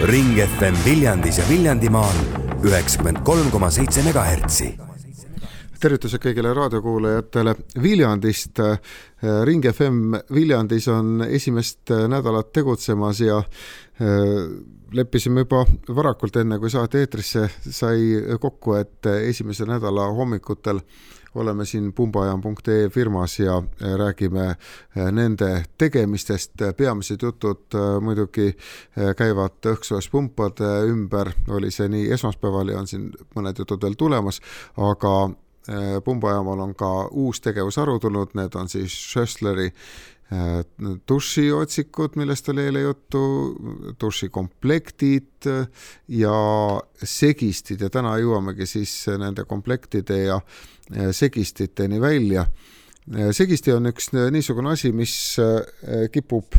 Ring FM Viljandis ja Viljandimaal 93,7 MHz. Tervitused kõigile raadiokuulajatele Viljandist. Ring FM Viljandis on esimest nädalat tegutsemas ja leppisime juba varakult enne, kui saate eetrisse sai kokku, et esimese nädala hommikutel oleme siin pumbajam.ee firmas ja räägime nende tegemistest. Peamised jutud muidugi käivad õhksoojuspunpade ümber, oli see nii esmaspäeval ja on siin mõned jutud veel tulemas, aga Pumbajamal on ka uus tegevusharu tulnud, need on siis Schössleri dušiotsikud, millest oli eile juttu, dušikomplektid ja segistid ja täna jõuamegi siis nende komplektide ja segistiteni välja. Segisti on üks niisugune asi, mis kipub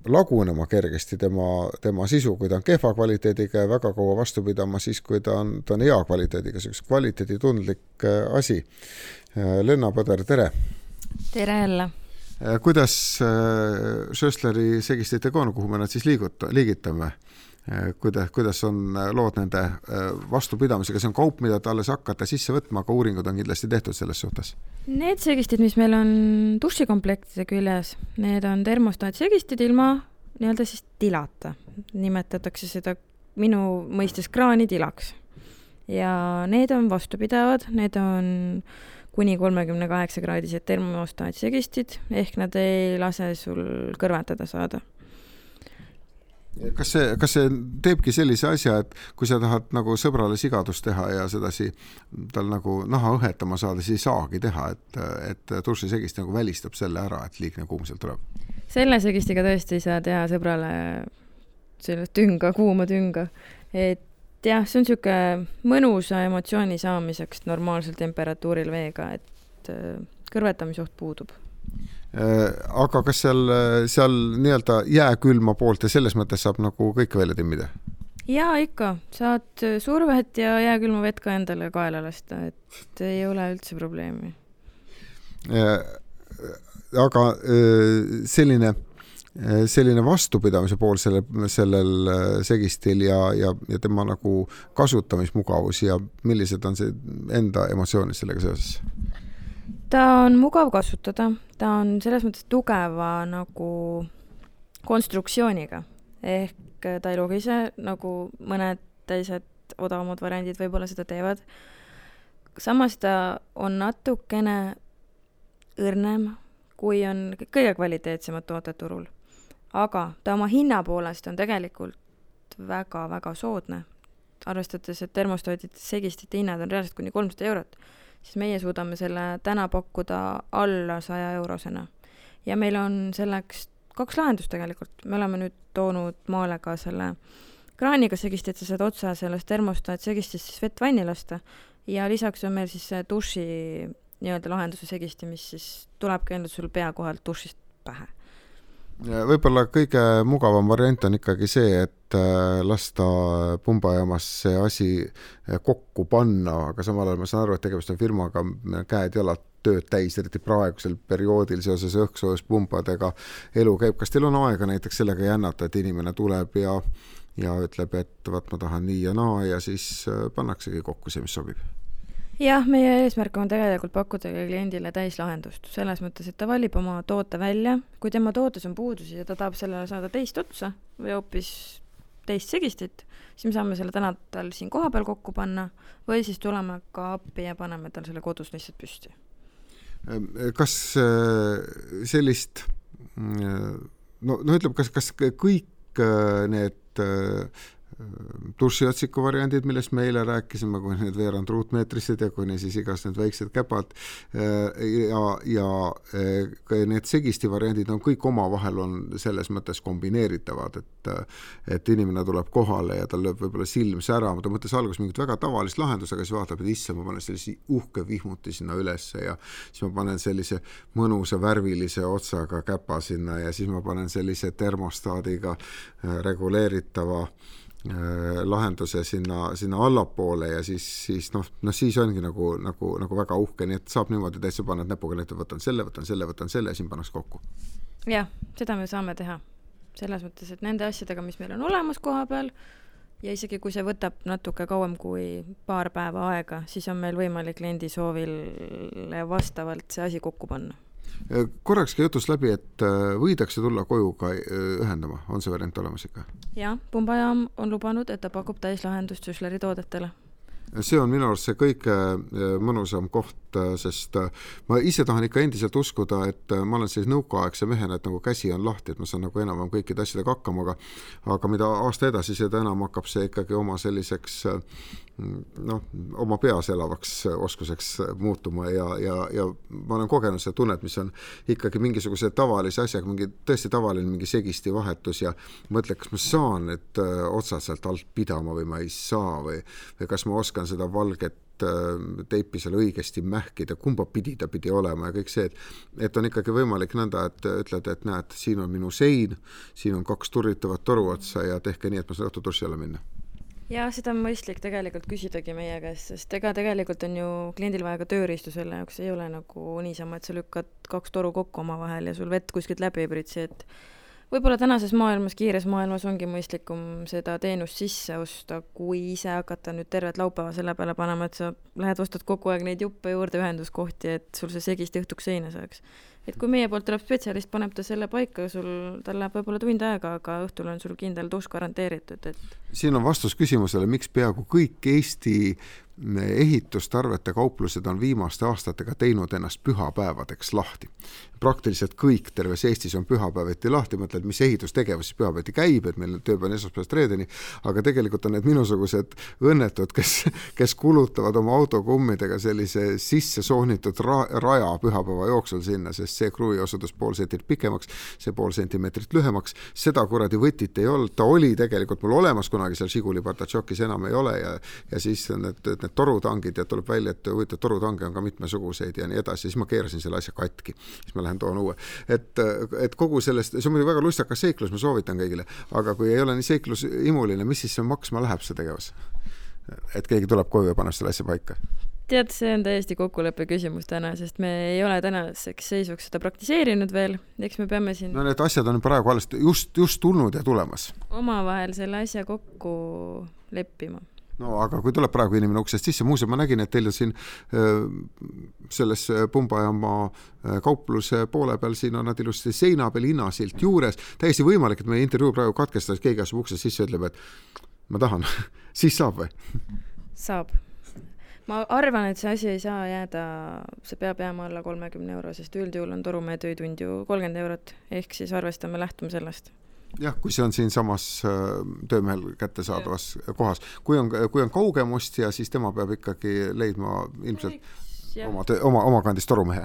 lagunema kergesti tema sisu, kui ta on kehva kvaliteediga ja väga kaua vastu pidama siis, kui ta on hea kvaliteediga, see üks kvaliteeditundlik asi. Lenna Põder, tere! Tere jälle! Kuidas Schössleri segistitega on, kuhu me nad siis liigitame? Kuidas on lood nende vastupidamisega? See on kaup, mida te alles hakkate sisse võtma, aga uuringud on kindlasti tehtud selles suhtes. Need segistid, mis meil on dušikomplektide küljes, need on termostaatsegistid ilma nii-öelda siis tilata. Nimetatakse seda minu mõistes kraanitilaks. Ja need on vastupidavad, need on kuni 38-kraadised termostaatsegistid, ehk nad ei lase sul kõrvetada saada. Kas see teebki sellise asja, et kui sa tahad nagu sõbrale sigadust teha ja sedasi tal nagu naha õhetama saada, siis ei saagi teha, et dušisegist nagu välistab selle ära, et liigne kuum sealt tuleb? Selle segistiga tõesti ei saa teha sõbrale selle kuuma tünga. Et jah, see on siuke mõnusa emotsiooni saamiseks normaalsel temperatuuril veega, et kõrvetamisoht puudub. Aga kas seal nii-öelda jääkülma poolt ja selles mõttes saab nagu kõik välja timmida? Jaa, ikka. Saad survet ja jääkülma vett ka endale kaela lasta, et ei ole üldse probleemi. Aga selline vastupidamise pool sellel segistil ja tema nagu kasutamismugavus ja millised on see enda emotsioonid sellega seoses? Ta on mugav kasutada, ta on selles mõttes tugeva nagu konstruktsiooniga, ehk ta ei logise nagu mõned teised odavamad variandid võib-olla seda teevad. Samas ta on natukene õrnem, kui on kõige kvaliteetsemad tooted turul. Aga ta oma hinna poolest on tegelikult väga-väga soodne. Arvestades, et termostaatide segistite hinnad on reaalselt kuni 300 €, siis meie suudame selle täna pakkuda alla 100 €. Ja meil on selleks 2 lahendust tegelikult. Me oleme nüüd toonud maale ka selle kraaniga segisti, et sa saad otsa sellest termostaat segistist siis vett vanni lasta. Ja lisaks on meil siis see duši nii-öelda lahenduse segisti, mis siis tulebki enda sul pea kohalt dušist pähe. Võib-olla kõige mugavam variant on ikkagi see, et lasta pumbajamas see asi kokku panna, aga samal ajal ma saan aru, et tegemist on firmaga käed jalad tööd täis, eriti praegusel perioodil seoses õhksoojuspunpadega elu käib. Kas teil on aega näiteks sellega jännata, et inimene tuleb ja ütleb, et vaat ma tahan nii ja naa ja siis pannaksegi kokku see, mis sobib? Jah, meie eesmärk on tegelikult pakkuda kliendile täislahendust. Selles mõttes, et ta valib oma toote välja. Kui tema tootes on puudusi ja ta tahab sellele saada teist otsa või hoopis teist segistit, siis me saame selle täna tal siin koha peal kokku panna või siis tuleme ka appi ja paneme tal selle kodus lihtsalt püsti. Kas sellist, ütleb, kas kõik need dušiotsiku variandid, millest me eile rääkisime, kui need veerand ruutmeetrised ja kuni siis igas need väiksed käpad ja need segisti variandid on kõik omavahel on selles mõttes kombineeritavad, et inimene tuleb kohale ja tal lööb võib-olla silm sära, ta mõttes alguses mingit väga tavalist lahendus, aga siis vaatab, et isse ma panen sellise uhke vihmuti sinna ülesse ja siis ma panen sellise mõnusa värvilise otsaga käpa sinna ja siis ma panen sellise termostaadiga reguleeritava lahenduse sinna allapoole ja siis ongi nagu väga uhke, nii et saab niimoodi täitsa panna näpuga, et võtan selle ja siin pannaks kokku. Jah, seda me saame teha. selles mõttes, et nende asjadega, mis meil on olemas koha peal ja isegi kui see võtab natuke kauem kui paar päeva aega, siis on meil võimalik kliendi soovile vastavalt see asi kokku panna. Korrakski jutus läbi, et võidakse tulla koju ka ühendama, on see variant olemas ikka? Jah, Pumbajaam on lubanud, et ta pakub täislahendust Süsleri toodetele. See on minu arust see kõige mõnusam koht, sest ma ise tahan ikka endiselt uskuda, et ma olen sellise nõukaaegse mehena, et nagu käsi on lahti, et ma saan nagu enam kõikide asjadega hakkama, aga mida aasta edasi, seda enam hakkab see ikkagi oma selliseks oma peas elavaks oskuseks muutuma ja ma olen kogenud seda tunnet, mis on ikkagi mingisuguse tavalise asjaga, tõesti tavaline mingi segisti vahetus ja mõtle, kas ma saan need otsad sealt alt pidama või ma ei saa või kas ma oskan seda valget teipi seal õigesti mähkida, kumba pidi ta pidi olema ja kõik see, et on ikkagi võimalik nõnda, et ütled, et näed, siin on minu sein, siin on 2 turritavat toruotsa ja tehke nii, et ma saan õhtuturssi alla minna. Ja seda on mõistlik tegelikult küsidagi meie käest, sest ega tegelikult on ju kliendil vaja ka tööriistu selle jaoks, ei ole nagu niisama, et sa lükkad 2 toru kokku oma vahel ja sul vett kuskilt läbi ei pritsi, et võib-olla tänases maailmas, kiires maailmas ongi mõistlikum seda teenust sisse osta, kui ise hakata nüüd tervet laupäeva selle peale panema, et sa lähed ostad kogu aeg neid juppe juurde ühenduskohti, et sul see segisti õhtuks seina saaks. Et kui meie poolt tuleb spetsialist, paneb ta selle paika, tal läheb võib-olla tund aega, aga õhtul on sul kindel tusk garanteeritud. Siin on vastus küsimusele, miks peaaegu kõik Eesti ehitustarvete kauplused on viimaste aastatega teinud ennast pühapäevadeks lahti. Praktiliselt kõik terves Eestis on pühapäeviti lahti, mõtled, mis ehitustegevus siis pühapäeviti käib, et meil tööpäev on esmaspäevast reedeni, aga tegelikult on need minusugused õnnetud, kes kulutavad oma autokummidega sellise sisse soonitud raja pühapäeva jooksul sinna, sest see kruvi osutus pool sentit pikemaks, see pool sentimeetrit lühemaks, seda kuradi võtit ei olnud, ta oli tegelikult mul olemas kunagi seal Žiguli Bartatšokis, enam ei ole ja siis need torutangid ja tuleb välja, et huvitav, torutange on ka mitmesuguseid ja nii edasi, siis ma keerasin selle asja katki, siis ma lähen toon uue. Et kogu sellest, see on muidu väga lustakas seiklus, ma soovitan kõigile, aga kui ei ole nii seiklusimuline, mis siis see maksma läheb see tegevus? Et keegi tuleb koju ja paneb selle asja paika. Tead, see on täiesti kokkuleppe küsimus täna, sest me ei ole tänaseks seisuks seda praktiseerinud veel, eks me peame siin... No need asjad on praegu alles just tulnud ja tulemas. Omavahel selle asja kokku leppima. No aga kui tuleb praegu inimene uksest sisse, muuseas ma nägin, et teil on siin selles Pumbajaama kaupluse poole peal, siin on nad ilusti seina peal hinnasilt juures, täiesti võimalik, et meie intervjuu praegu katkestas, keegi asub uksest sisse ja ütleb, et ma tahan, siis saab või? Saab. Ma arvan, et see asi ei saa jääda, see peab jääma alla 30 €, sest üldjuhul on torumehe töötund ju 30 €, ehk siis arvestame lähtuma sellest. Jah, kui see on siin samas töömehel kättesaadavas kohas. Kui on kaugem ostja, siis tema peab ikkagi leidma ilmselt oma kandis torumehe.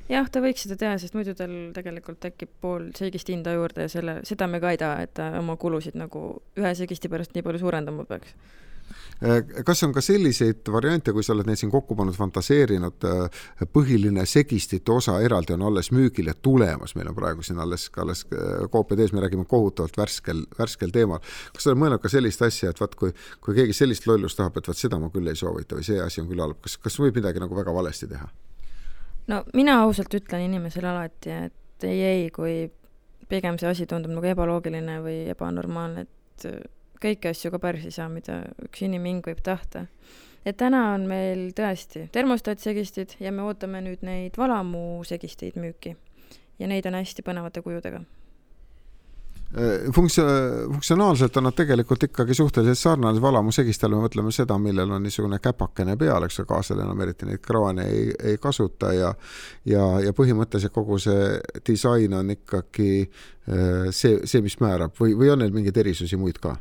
Jah, ta võiks seda teha, sest muidu tal tegelikult tekib pool segist hinda juurde ja seda me ka ei taha, et ta oma kulusid nagu ühe segisti pärast nii palju suurendama peaks. Kas on ka selliseid variante, kui sa oled neid siin kokku pannud, fantaseerinud, põhiline segistite osa eraldi on alles müügile tulemas, meil on praegu siin alles koopiad ees, me räägime kohutavalt värskel teemal. Kas sa oled mõelnud ka sellist asja, et kui keegi sellist lollust tahab, et seda ma küll ei soovita või see asi on küll halb, kas võib midagi nagu väga valesti teha? No mina ausalt ütlen inimesele alati, et ei, kui pigem see asi tundub nagu ebaloogiline või ebanormaalne, et kõiki asju ka päris ei saa, mida üks iniming võib tahta. Et täna on meil tõesti termostatsegistid ja me ootame nüüd neid valamu segisteid müüki ja neid on hästi põnevate kujudega. Funktsionaalselt on nad tegelikult ikkagi suhteliselt sarnane valamu segistele, me mõtleme seda, millel on niisugune käpakene peal, eks kaasel enam eriti neid kraane ei kasuta ja põhimõtteliselt kogu see disain on ikkagi see mis määrab või on neil mingeid erisusi muid ka?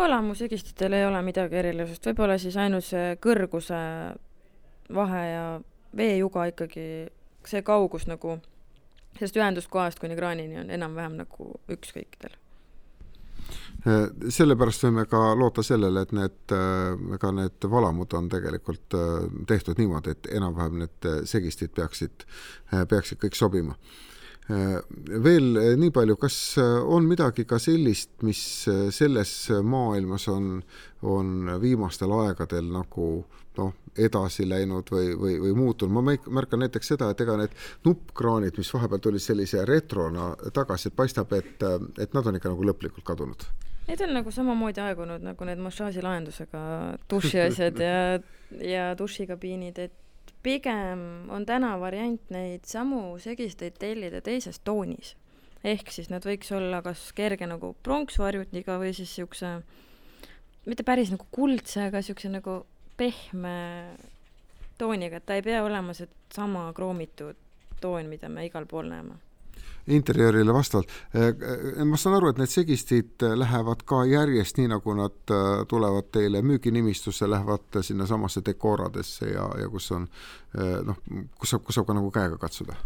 Valamu segistitel ei ole midagi erilisust, võib-olla siis ainult see kõrguse vahe ja veejuga ikkagi see kaugus nagu sellest ühenduskohast kuni kraanini on enam-vähem nagu üks kõikidel. Sellepärast võime ka loota sellele, et need valamud on tegelikult tehtud niimoodi, et enam-vähem need segistid peaksid kõik sobima. Veel nii palju, kas on midagi ka sellist, mis selles maailmas on viimastel aegadel nagu edasi läinud või muutunud? Ma märkan näiteks seda, et ega need nuppkraanid, mis vahepeal tulid sellise retrona tagasi, et paistab, et nad on ikka nagu lõplikult kadunud. Need on nagu samamoodi aegunud nagu need massaažilahendusega dušiasjad ja dušikabiinid, et pigem on täna variant neid samu segisteid tellida teises toonis. Ehk siis nad võiks olla kas kerge nagu pronksvarjutiga või siis siukse, mitte päris nagu kuldse, aga siukse nagu pehme tooniga, et ta ei pea olema see sama kroomitud toon, mida me igal pool näeme. Interjöörile vastavalt. Ma saan aru, et need segistid lähevad ka järjest nii, nagu nad tulevad teile müüginimistusse, lähevad sinna samasse dekooradesse ja kus on, kus saab ka nagu käega katsuda.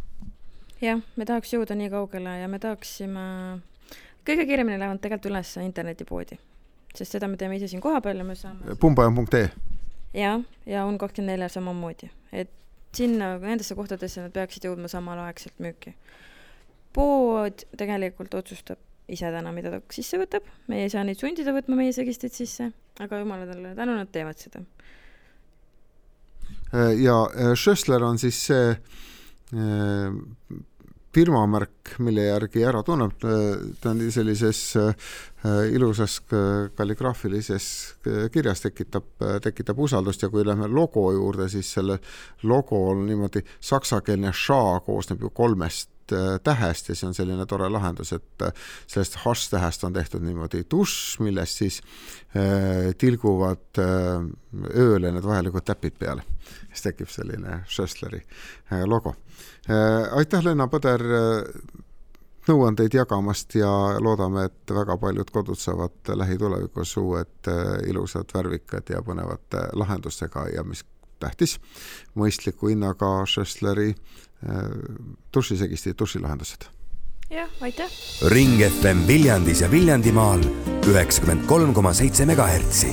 Jah, me tahaks jõuda nii kaugele ja me tahaksime, kõige kiiremini lähevad tegelikult üles internetipoodi, sest seda me teeme ise siin koha peal ja me saame Pumbajan.ee ja on 24 samamoodi, et sinna nendesse kohtadesse nad peaksid jõudma samal aegselt müüki. Pood tegelikult otsustab ise täna, mida ta sisse võtab. Me ei saa neid sundida võtma meie segistid sisse, aga jumaladele tänu nad teevad seda. Ja Schössler on siis see firmamärk, mille järgi ära tunneb. Ta on sellises ilusas kalligraafilises kirjas tekitab usaldust ja kui lähme logo juurde, siis selle logo on niimoodi saksakeelne ša koosneb ju 3 tähest ja see on selline tore lahendus, et sellest hash-tähest on tehtud niimoodi tuš, millest siis tilguvad ööle need vajalikud täpid peale. Siis tekib selline Schössleri logo. Aitäh, Lenna Põder, nõuandeid jagamast ja loodame, et väga paljud kodud saavad lähitulevikus uued ilusad, värvikad ja põnevate lahendustega ja mis tähtis, mõistliku hinnaga Schössleri dušisegisti dušilahendused. Jah, aitäh! Ring FM Viljandis ja Viljandimaal 93,7 MHz.